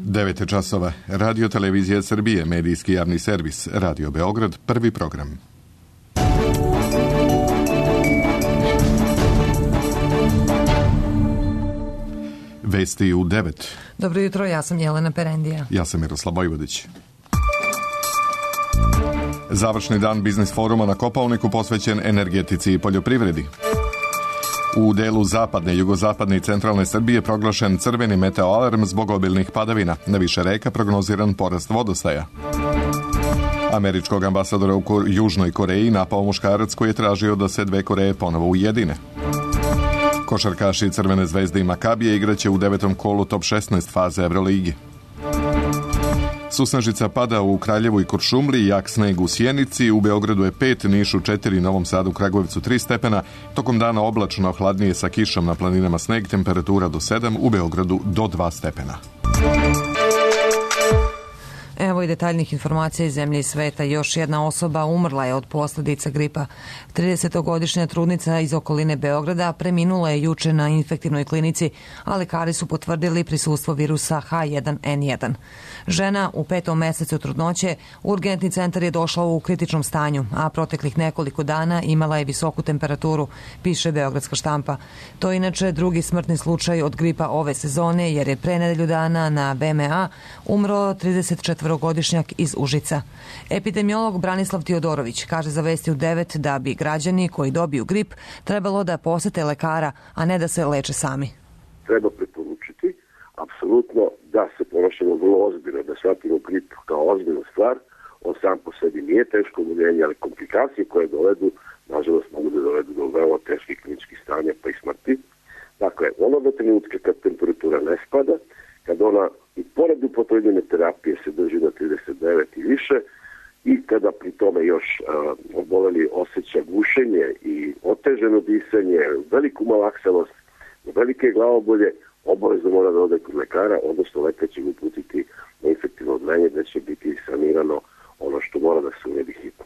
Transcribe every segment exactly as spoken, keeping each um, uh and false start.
devet časova. Radio Televizija Srbije, medijski javni servis, Radio Beograd, prvi program. Vesti u devet. Dobro jutro, ja sam Jelena Perendija. Ja sam Miroslav Vojvodić. Završni dan biznis foruma na Kopaoniku posvećen energetici i poljoprivredi. U delu zapadne, jugozapadne i centralne Srbije proglašen crveni meteoalarm zbog obilnih padavina. Na više reka prognoziran porast vodostaja. Američkog ambasadora u Južnoj Koreji napao muškarac koji je tražio da se dve Koreje ponovo ujedine. Košarkaši Crvene zvezde i Makabije igraće u devetom kolu top šesnaest faze Evroligi. Susnežica pada u Kraljevu i Kuršumliji, jak sneg u Sjenici, u Beogradu je pet, Nišu četiri, Novom Sadu, Kragujevcu tri stepena, tokom dana oblačno, hladnije sa kišom na planinama sneg, temperatura do sedam, u Beogradu do dva stepena. Evo i detaljnih informacija iz zemlje i sveta. Još jedna osoba umrla je od posljedica gripa. tridesetogodišnja trudnica iz okoline Beograda preminula je juče na infektivnoj klinici, a lekari su potvrdili prisustvo virusa H jedan N jedan. Žena u petom mesecu trudnoće, urgentni centar je došla u kritičnom stanju, a proteklih nekoliko dana imala je visoku temperaturu, piše Beogradska štampa. To je inače drugi smrtni slučaj od gripa ove sezone, jer je pre nedelju dana na B M A umro tridesetčetvorogodišnjak iz Užica. Epidemiolog Branislav Tiodorović kaže za Vesti u devet da bi građani koji dobiju grip trebalo da posete lekara, a ne da se leče sami. Treba preporučiti apsolutno da se ponašamo vrlo ozbiljno, da shvatimo grip kao ozbiljnu stvar. On sam po sebi nije teško oboljenje, ali komplikacije koje dovedu, nažalost, mogu da dovedu do veoma teških kliničkih stanja pa i smrti. Dakle, onoga trenutka kad temperatura ne spada, kad ona i pored upotrebljene terapije se drži na trideset devet i više, i kada pri tome još uh, oboleli osjeća gušenje i oteženo disanje, veliku malaksanost, velike glavobolje, obavezno mora da ode kod lekara, odnosno lekar će ga uputiti na infektivno odlenje da će biti sanirano ono što mora da se uredi hitno.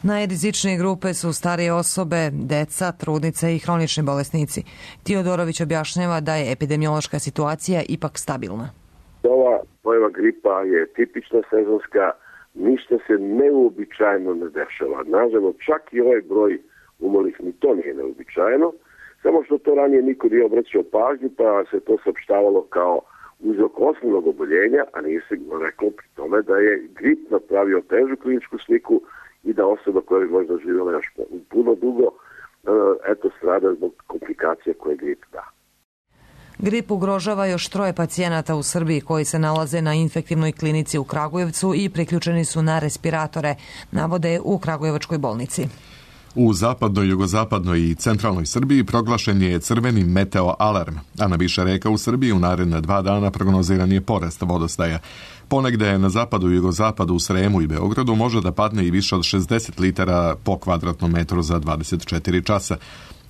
Najrizičnije grupe su starije osobe, deca, trudnice i hronični bolesnici. Tiodorović objašnjava da je epidemiološka situacija ipak stabilna. Ova pojava gripa je tipična sezonska, ništa se neuobičajeno ne dešava. Nažalost, čak i ovaj broj umrlih ni to nije neuobičajeno, samo što to ranije niko nije obraćao pažnju, pa se to saopštavalo kao uzrok osnovnog oboljenja, a nije se reklo pri tome da je grip napravio težu kliničku sliku i da osoba koja je možda živjela još puno dugo, eto, strada zbog komplikacija koje grip da. Grip ugrožava još troje pacijenata u Srbiji koji se nalaze na infektivnoj klinici u Kragujevcu i priključeni su na respiratore, navode u Kragujevačkoj bolnici. U zapadnoj, jugozapadnoj i centralnoj Srbiji proglašen je crveni meteoalarm, a na više reka u Srbiji u naredne dva dana prognoziran je porast vodostaja. Ponegde na zapadu i jugozapadu u Sremu i Beogradu može da padne i više od šezdeset litara po kvadratnom metru za dvadeset četiri časa.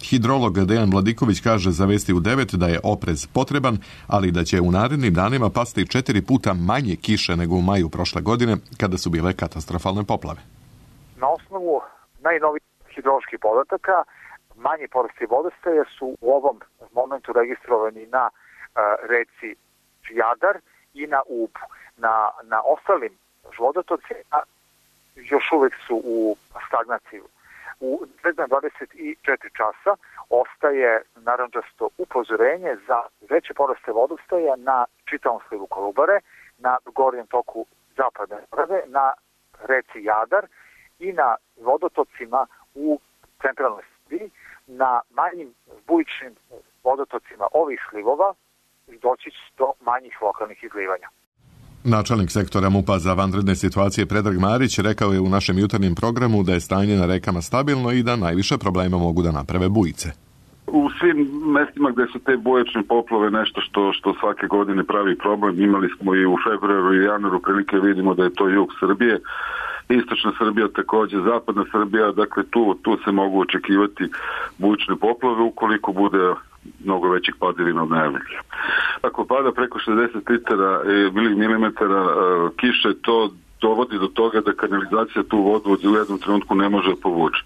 Hidrolog Dejan Vladiković kaže za Vesti u devet da je oprez potreban, ali da će u narednim danima pasti četiri puta manje kiše nego u maju prošle godine, kada su bile katastrofalne poplave. Na osnovu najnovijih hidroloških podataka, manji porasti vodostaja su u ovom momentu registrovani na uh, reci Jadar i na Ubu. Na, na ostalim vodotocima još uvek su u stagnaciji. U dvadeset četiri časa ostaje narančasto upozorenje za veće poraste vodostaja na čitavom slivu Kolubare, na gornjem toku zapadne Morave, na reci Jadar i na vodotocima u centralnoj Srbiji. Na manjim bujičnim vodotocima ovih slivova doći će do manjih lokalnih izlivanja. Načelnik sektora MUP-a za vanredne situacije Predrag Marić rekao je u našem jutarnjem programu da je stanje na rekama stabilno i da najviše problema mogu da naprave bujice. U svim mestima gde su te bujične poplave nešto što, što svake godine pravi problem, imali smo i u februaru i januaru prilike vidimo da je to jug Srbije, istočna Srbija takođe, zapadna Srbija, dakle tu, tu se mogu očekivati bujične poplave ukoliko bude mnogo većih padavina od najavljenih. Ako pada preko šezdeset litara milimetara kiše, to dovodi do toga da kanalizacija tu vodu u jednom trenutku ne može povući.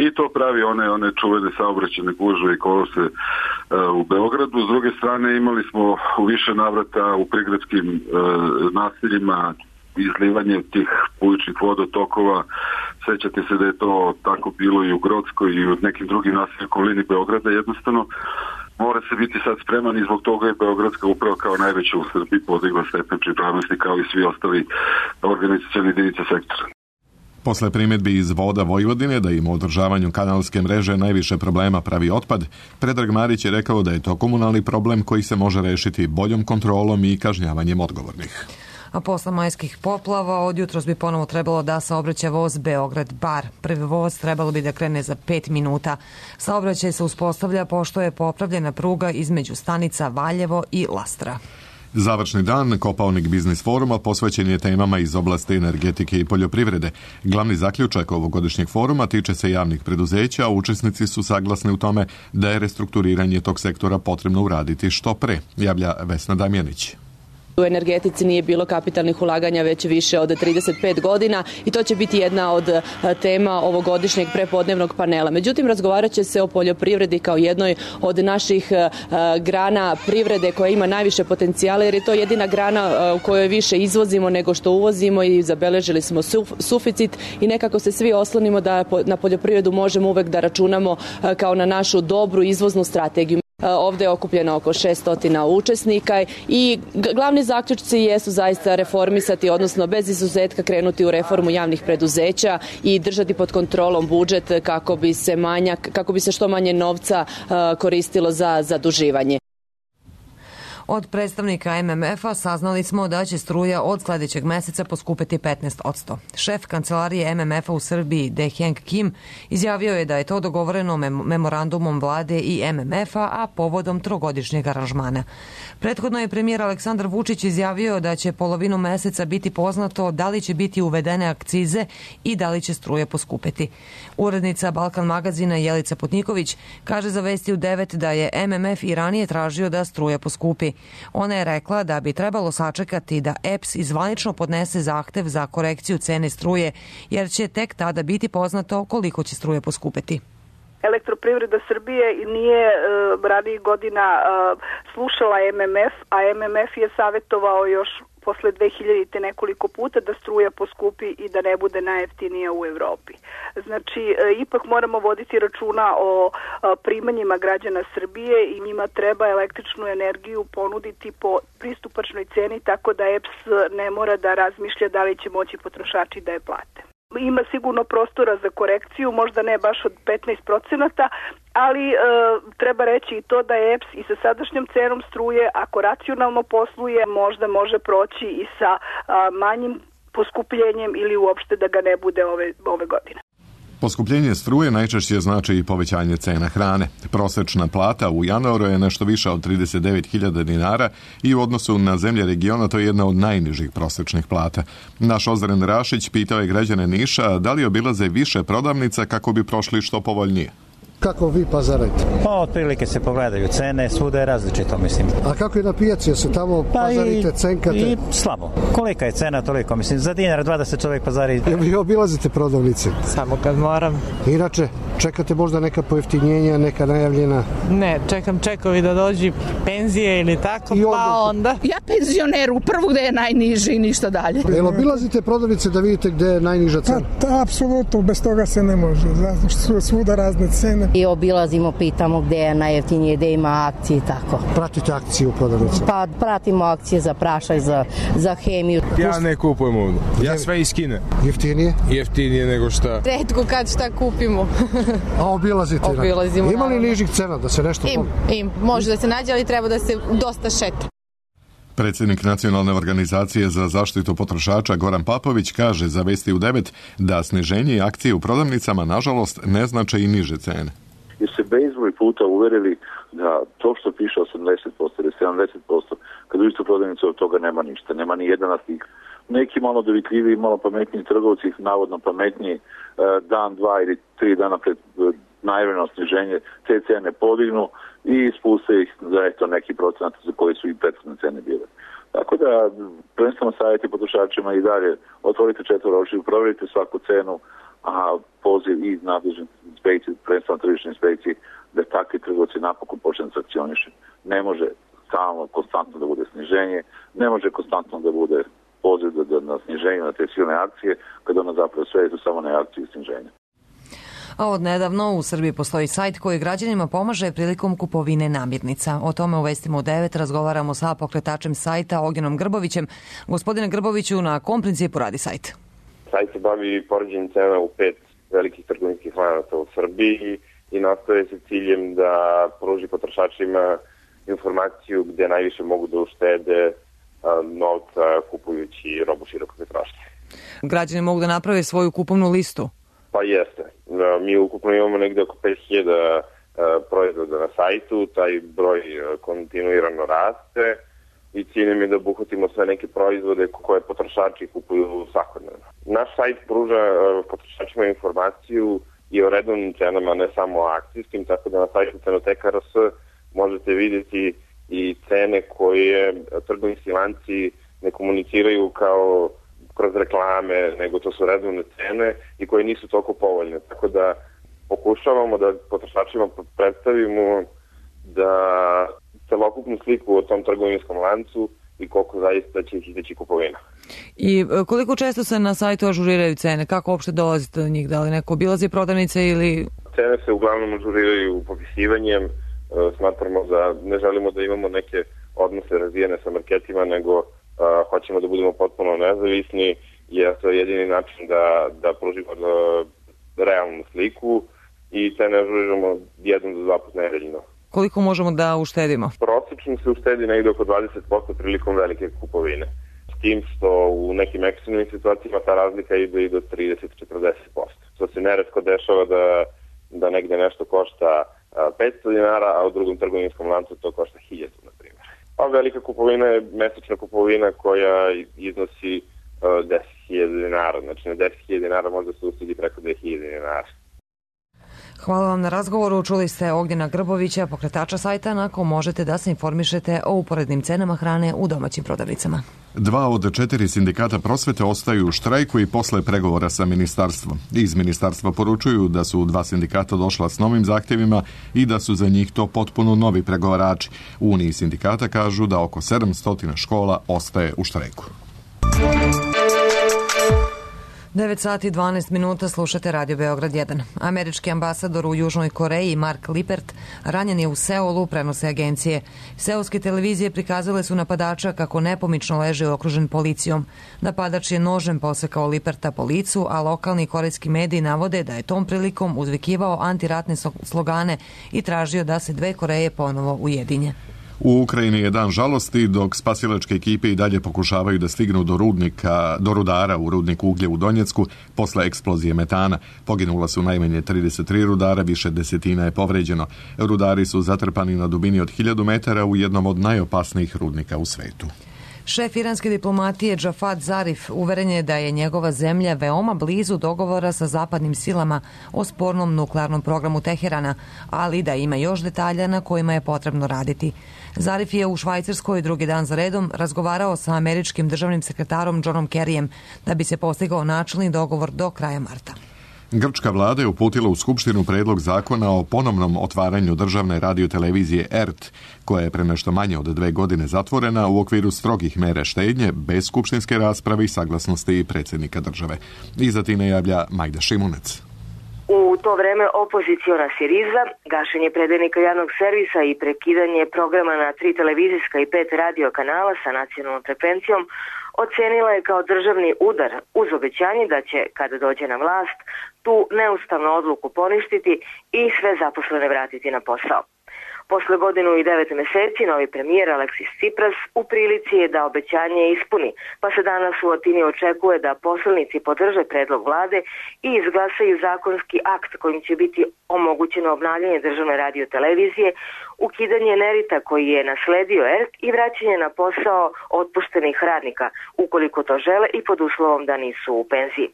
I to pravi one, one čuvene saobraćajne gužve i kolose uh, u Beogradu. S druge strane imali smo u više navrata u prigradskim uh, naseljima izlivanje tih bujičnih vodotokova. Sećate se da je to tako bilo i u Grodskoj i u nekim drugim naseljima okolini Beograda. Jednostavno mora se biti sad spreman i zbog toga je Beogradska uprava kao najveća u Srbiji podigla stepen pripravnosti kao i svi ostali organizacioni jedinice sektora. Posle primjedbi iz Voda Vojvodine da im u održavanju kanalske mreže najviše problema pravi otpad, Predrag Marić je rekao da je to komunalni problem koji se može rešiti boljom kontrolom i kažnjavanjem odgovornih. A posle majskih poplava od jutros bi ponovo trebalo da saobraća voz Beograd-Bar. Prvi voz trebalo bi da krene za pet minuta. Saobraćaj se uspostavlja pošto je popravljena pruga između stanica Valjevo i Lastra. Završni dan Kopaonik biznis foruma posvećen je temama iz oblasti energetike i poljoprivrede. Glavni zaključak ovogodišnjeg foruma tiče se javnih preduzeća, a učesnici su saglasni u tome da je restrukturiranje tog sektora potrebno uraditi što pre, javlja Vesna Damjanić. U energetici nije bilo kapitalnih ulaganja već više od trideset pet godina i to će biti jedna od tema ovogodišnjeg prepodnevnog panela. Međutim, razgovarat će se o poljoprivredi kao jednoj od naših grana privrede koja ima najviše potencijala jer je to jedina grana u kojoj više izvozimo nego što uvozimo i zabeležili smo suficit i nekako se svi oslonimo da na poljoprivredu možemo uvek da računamo kao na našu dobru izvoznu strategiju. Ovde je okupljeno oko šessto učesnika i glavni zaključci jesu zaista reformisati, odnosno bez izuzetka krenuti u reformu javnih preduzeća i držati pod kontrolom budžet kako bi se manjak, kako bi se što manje novca koristilo za zaduživanje. Od predstavnika M M F-a saznali smo da će struja od sledećeg meseca poskupeti petnaest posto. Šef kancelarije M M F-a u Srbiji, De-Heng Kim, izjavio je da je to dogovoreno memorandumom vlade i M M F-a, a povodom trogodišnjeg aranžmana. Prethodno je premijer Aleksandar Vučić izjavio da će polovinu meseca biti poznato da li će biti uvedene akcize i da li će struje poskupeti. Urednica Balkan magazina Jelica Putniković kaže za Vesti u devet da je M M F i ranije tražio da struja poskupi. Ona je rekla da bi trebalo sačekati da E P S izvanično podnese zahtev za korekciju cene struje, jer će tek tada biti poznato koliko će struje poskupeti. Elektroprivreda Srbije nije e, ranijih godina e, slušala M M F, a M M F je savjetovao još posle dve hiljadite nekoliko puta da struja poskupi i da ne bude najjeftinija u Evropi. Znači, e, ipak moramo voditi računa o e, primanjima građana Srbije i njima treba električnu energiju ponuditi po pristupačnoj ceni, tako da E P S ne mora da razmišlja da li će moći potrošači da je plate. Ima sigurno prostora za korekciju, možda ne baš od petnaest procenata, ali e, treba reći i to da je E P S i sa sadašnjom cenom struje, ako racionalno posluje, možda može proći i sa a, manjim poskupljenjem ili uopšte da ga ne bude ove, ove godine. Poskupljenje struje najčešće znači i povećanje cena hrane. Prosečna plata u januaru je nešto više od trideset devet hiljada dinara i u odnosu na zemlje regiona to je jedna od najnižih prosečnih plata. Naš Ozren Rašić pitao je građane Niša da li obilaze više prodavnica kako bi prošli što povoljnije. Kako vi pazarajte? Pa otprilike se pogledaju cene, svuda je različito, mislim. A kako je na pijaci, se tamo pa pazarite, i, cenkate? I slabo. Kolika je cena, toliko, mislim, za dinar, dva da se čovjek pazari. Jel vi obilazite prodavnice? Samo kad moram. Inače, čekate možda neka pojeftinjenja, neka najavljena? Ne, čekam čekovi da dođi penzije ili tako, I onda... pa onda. Ja penzioner, u prvu gde je najniži i ništa dalje. Jel obilazite prodavnice da vidite gde je najniža cena? Ta, ta, apsolutno, bez toga se ne može, zato što su svuda razne cene. I obilazimo, pitamo gde je najjeftinije, gde ima akcije i tako. Pratite akcije u prodavnici? Pa pratimo akcije za prašaj, za, za hemiju. Ja ne kupujem ovdje. Ja sve iskinem. Jeftinije? Jeftinije nego šta. Retko kad šta kupimo. A obilazite? Obilazimo. Ima li nižih cena da se nešto... Im, im. Može da se nađe, ali treba da se dosta šeta. Predsjednik Nacionalne organizacije za zaštitu potrošača Goran Papović kaže za Vesti u devet da sniženje akcije u prodavnicama nažalost ne znače i niže cene. Jer se bezbroj puta uverili da to što piše osamdeset posto ili sedamdeset posto, kad u istu prodavnicu od toga nema ništa, nema ni jedan artikl. Neki malo dovitljivi, malo pametniji trgovci, navodno pametniji, dan, dva ili tri dana pred najavljeno sniženje te cene podignu i spuste ih za eto neki procenat za koji su i prethodne cene bile. Tako da, prvenstveno savjeti potrošačima i dalje, otvorite četvoro očiju, provjerite svaku cenu, a poziv i nadležne inspekcije, prvenstveno tržišne inspekcije, da takvi trgovci napokon počne sankcioniše. Ne može stalno, konstantno da bude sniženje, ne može konstantno da bude poziv da, da, na sniženje na te silne akcije, kada ona zapravo sve je to samo na akciji sniženja. A od nedavno u Srbiji postoji sajt koji građanima pomaže prilikom kupovine namirnica. O tome u Vestima u devet razgovaramo sa pokretačem sajta Ognjenom Grbovićem. Gospodine Grboviću, na kom principu radi sajt? Sajt se bavi poređenjem cena u pet velikih trgovinskih lanaca u Srbiji i nastoje se ciljem da pruži potrošačima informaciju gde najviše mogu da uštede novca kupujući robu širokog potrošnje. Građani mogu da naprave svoju kupovnu listu? Pa jeste. Mi ukupno imamo negde oko pet hiljada proizvoda na sajtu, taj broj kontinuirano raste i ciljem je da obuhvatimo sve neke proizvode koje potrošači kupuju svakodnevno. Naš sajt pruža potrošačima informaciju i o redovnim cenama, ne samo o akcijskim, tako da na sajtu Cenoteka R S možete vidjeti i cene koje trgovinski lanci ne komuniciraju kao kroz reklame, nego to su redovne cene i koje nisu toliko povoljne. Tako da pokušavamo da potrošačima predstavimo da celokupnu sliku o tom trgovinskom lancu i koliko zaista će ih izdeći kupovina. I koliko često se na sajtu ažuriraju cene? Kako uopšte dolazite do njih? Da li neko obilazi prodavnice ili... Cene se uglavnom ažuriraju popisivanjem. Smatramo da ne želimo da imamo neke odnose razvijene sa marketima, nego a, hoćemo da budemo potpuno nezavisni, jer to je jedini način da, da pružimo da, realnu sliku i cene ažuriramo jednom do dva puta nedeljno. Koliko možemo da uštedimo? Prosečno se uštedi negde oko dvadeset posto prilikom velike kupovine. S tim što u nekim ekstremnim situacijama ta razlika ide i do trideset do četrdeset posto. Što se neretko dešava da, da negde nešto košta petsto dinara, a u drugom trgovinskom lancu to košta hiljadu, na primjer. A velika kupovina je mesečna kupovina koja iznosi uh, deset hiljada dinara. Znači na deset hiljada dinara možda se uštedi preko dve hiljade dinara. Hvala vam na razgovoru. Čuli ste Ognjena Grbovića, pokretača sajta na kom možete da se informišete o uporednim cenama hrane u domaćim prodavnicama. Dva od četiri sindikata prosvete ostaju u štrajku i posle pregovora sa ministarstvom. Iz ministarstva poručuju da su dva sindikata došla s novim zahtjevima i da su za njih to potpuno novi pregovarači. U Uniji sindikata kažu da oko sedamsto škola ostaje u štrajku. devet sati i dvanaest minuta, slušate Radio Beograd jedan. Američki ambasador u Južnoj Koreji Mark Lippert ranjen je u Seulu, prenose agencije. Seulske televizije prikazale su napadača kako nepomično leže okružen policijom. Napadač je nožem posekao Lipperta po licu, a lokalni korejski mediji navode da je tom prilikom uzvikivao antiratne slogane i tražio da se dve Koreje ponovo ujedinje. U Ukrajini je dan žalosti, dok spasilačke ekipe i dalje pokušavaju da stignu do rudnika, do rudara u rudniku uglja u Donjecku posle eksplozije metana. Poginula su najmanje trideset tri rudara, više desetina je povređeno. Rudari su zatrpani na dubini od hiljadu metara u jednom od najopasnijih rudnika u svetu. Šef iranske diplomatije Džafad Zarif uveren je da je njegova zemlja veoma blizu dogovora sa zapadnim silama o spornom nuklearnom programu Teherana, ali da ima još detalja na kojima je potrebno raditi. Zarif je u Švajcarskoj drugi dan za redom razgovarao sa američkim državnim sekretarom Johnom Kerryjem da bi se postigao načelni dogovor do kraja marta. Grčka vlada je uputila u Skupštinu predlog zakona o ponovnom otvaranju državne radiotelevizije R T, koja je pre nešto manje od dve godine zatvorena u okviru strogih mere štednje, bez skupštinske rasprave i saglasnosti predsjednika države. Iza time javlja Majda Šimunec. U to vreme opoziciona Siriza, gašenje predajnika javnog servisa i prekidanje programa na tri televizijska i pet radio kanala sa nacionalnom frekvencijom ocenila je kao državni udar uz obećanje da će, kada dođe na vlast, tu neustavnu odluku poništiti i sve zaposlene vratiti na posao. Posle godinu i devet meseci, novi premijer Aleksis Tsipras u prilici je da obećanje ispuni, pa se danas u Atini očekuje da poslanici podrže predlog vlade i izglasaju zakonski akt kojim će biti omogućeno obnavljanje državne radiotelevizije, ukidanje nerita koji je nasledio R T i vraćanje na posao otpuštenih radnika, ukoliko to žele i pod uslovom da nisu u penziji.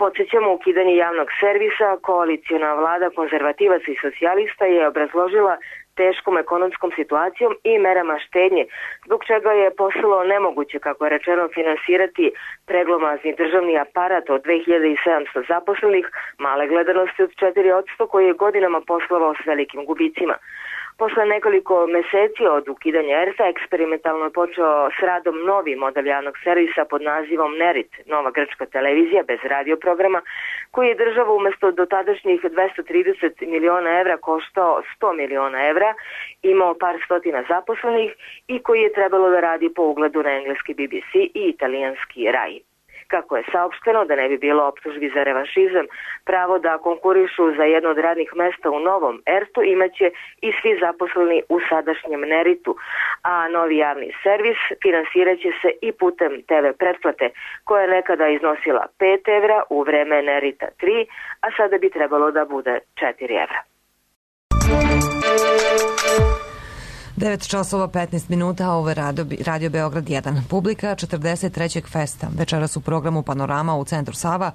Podsjećamo, ukidanje javnog servisa, koaliciona vlada konzervativaca i socijalista je obrazložila teškom ekonomskom situacijom i merama štednje, zbog čega je postalo nemoguće, kako je rečeno, finansirati preglomazni državni aparat od dve hiljade sedamsto zaposlenih, male gledanosti od četiri posto koji je godinama poslovao s velikim gubicima. Posle nekoliko meseci od ukidanja er te a eksperimentalno je počeo s radom novi model javnog servisa pod nazivom Nerit, nova grčka televizija bez radio programa, koji je država umesto dotadašnjih dvesta trideset miliona evra koštao sto miliona evra, imao par stotina zaposlenih i koji je trebalo da radi po ugledu na engleski B B C i italijanski Rai. Kako je saopšteno, da ne bi bilo optužbi za revanšizam, pravo da konkurišu za jedno od radnih mesta u novom er te u imaće i svi zaposleni u sadašnjem Neritu, a novi javni servis finansiraće se i putem te ve pretplate, koja je nekada iznosila pet evra u vreme Nerita tri, a sada bi trebalo da bude četiri evra. devet časova petnaest minuta, ovo je Radio, Radio Beograd jedan. Publika četrdeset trećeg festa. Večeras u programu Panorama u Centru Sava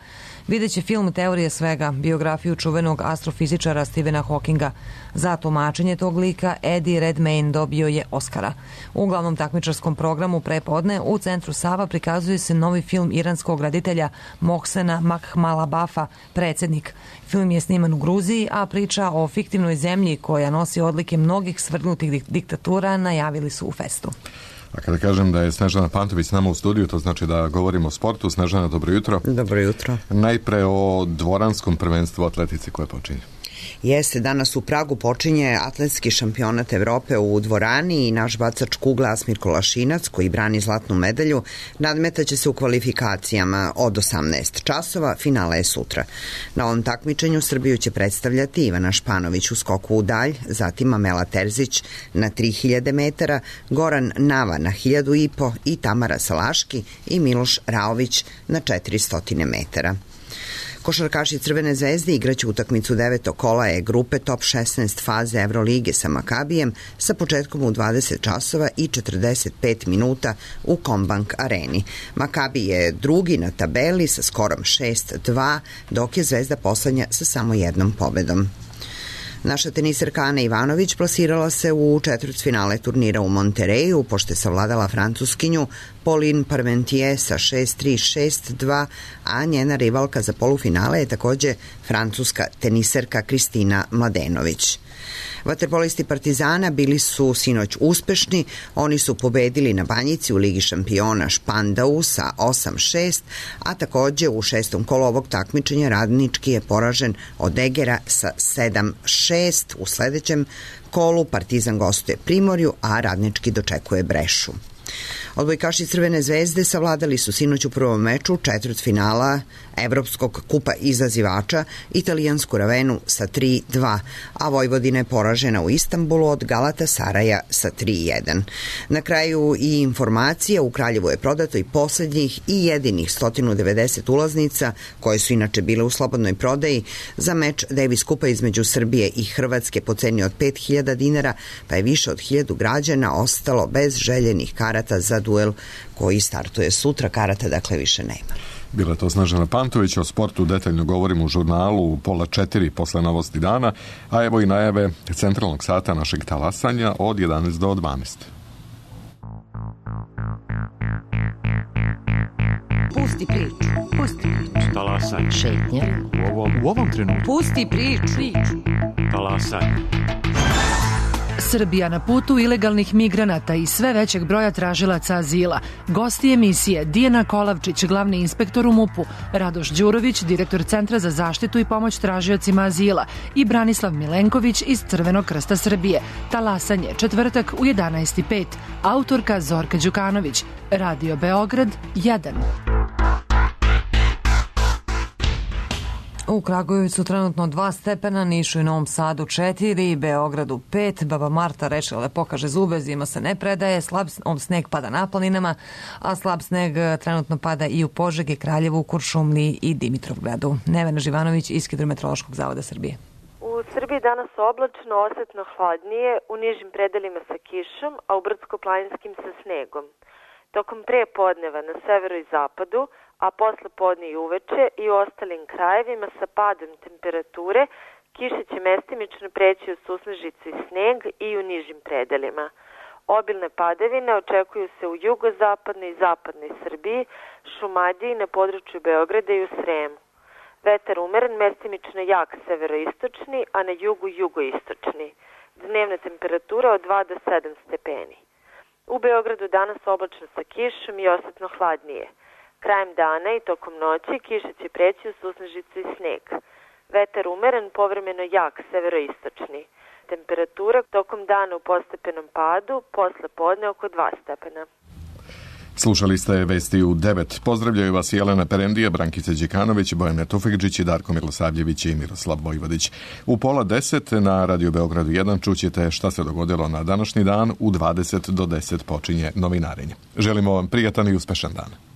vidjet će film Teorije svega, biografiju čuvenog astrofizičara Stephena Hawkinga. Za tumačenje tog lika Eddie Redmayne dobio je Oscara. U glavnom takmičarskom programu prepodne u Centru Sava prikazuje se novi film iranskog reditelja Mohsena Makhmalbafa, Predsjednik. Film je sniman u Gruziji, a priča o fiktivnoj zemlji koja nosi odlike mnogih svrgnutih diktatura najavili su u festu. A kada kažem da je Snežana Pantović s nama u studiju, to znači da govorimo o sportu. Snežana, dobro jutro. Dobro jutro. Najpre o dvoranskom prvenstvu atletici koje počinje. Jeste, danas u Pragu počinje atletski šampionat Evrope u dvorani i naš bacač kugle Asmir Kolašinac, koji brani zlatnu medalju, nadmetaće se u kvalifikacijama od osamnaest časova, finale je sutra. Na ovom takmičenju Srbiju će predstavljati Ivana Španović u skoku u dalj, zatim Amela Terzić na tri hiljade metara, Goran Nava na hiljadu i po i Tamara Salaški i Miloš Raović na četiristo metara. Košarkaši Crvene zvezde igraće utakmicu devetog kola E grupe top šesnaest faze Evrolige sa Makabijem sa početkom u dvadeset časova i četrdeset pet minuta u Kombank areni. Makabi je drugi na tabeli sa skorom šest dva, dok je Zvezda poslednja sa samo jednom pobedom. Naša teniserka Ana Ivanović plasirala se u četvrtfinale turnira u Montereju, pošto je savladala Francuskinju Pauline Parmentier sa šest tri šest dva, a njena rivalka za polufinale je takođe francuska teniserka Kristina Mladenović. Vaterpolisti Partizana bili su sinoć uspešni, oni su pobedili na Banjici u Ligi šampiona Špandau sa osam šest, a takođe u šestom kolu ovog takmičenja Radnički je poražen od Egera sa sedam šest. U sledećem kolu Partizan gostuje Primorju, a Radnički dočekuje Brešu. Odbojkaši Crvene zvezde savladali su sinoć u prvom meču četvrtfinala Evropskog kupa izazivača italijansku Ravenu sa tri dva, a Vojvodina je poražena u Istanbulu od Galatasaraja sa tri jedan. Na kraju i informacija, u Kraljevu je prodato i poslednjih i jedinih sto devedeset ulaznica, koje su inače bile u slobodnoj prodaji, za meč Davis kupa između Srbije i Hrvatske po ceni od pet hiljada dinara, pa je više od hiljadu građana ostalo bez željenih karata za duel koji startuje sutra. Karata dakle više nema. Bila je to Snežana Pantović, o sportu detaljno govorimo u žurnalu u pola četiri posle novosti dana, a evo i najave centralnog sata našeg talasanja od jedanaest do dvanaest. Pusti priču, pusti priču. Talasanje. Šetnja. U ovom, u ovom trenutku. Pusti priču. Talasanje. Srbija na putu ilegalnih migranata i sve većeg broja tražilaca azila. Gosti emisije Dijana Kolavčić, glavni inspektor u MUP-u, Radoš Đurović, direktor Centra za zaštitu i pomoć tražiocima azila i Branislav Milenković iz Crvenog krsta Srbije. Talasanje, četvrtak u jedanaest i pet. Autorka Zorka Đukanović. Radio Beograd jedan. U Kragujevcu trenutno dva stepena, Nišu i Novom Sadu četiri, Beogradu pet, Baba Marta rečila da pokaže zube, zima se ne predaje, slab sneg pada na planinama, a slab sneg trenutno pada i u Požegi, Kraljevu, Kuršumliji i Dimitrovgradu. Nevena Živanović iz Hidrometeorološkog zavoda Srbije. U Srbiji danas oblačno, osetno hladnije, u nižim predelima sa kišom, a u brdsko-planinskim sa snegom. Tokom prepodneva na severu i zapadu, a posle podne i uveče i u ostalim krajevima sa padom temperature, Kiša će mestimično preći u susnežicu i sneg i u nižim predelima. Obilne padavine očekuju se u jugozapadnoj i zapadnoj Srbiji, Šumadiji, na području Beograda i u Sremu. Vetar umeren, mestimično jak severoistočni, a na jugu jugoistočni. Dnevna temperatura od dva do sedam stepeni. U Beogradu danas oblačno sa kišom i osetno hladnije. Krajem dana i tokom noći kiša će preći u susnežicu i sneg. Vetar umeren, povremeno jak severoistočni. Temperatura tokom dana u postepenom padu, posle podne oko dva stepena. Slušali ste vesti u devet. Pozdravljaju vas Jelena Perendija, Brankica Đekanović, Bojana Tufekđić, Darko Milosavljević i Miroslav Vojvodić. U pola deset na Radio Beogradu jedan čućete šta se dogodilo na današnji dan. U dvadeset do deset počinje novinarenje. Želimo vam prijatan i uspešan dan.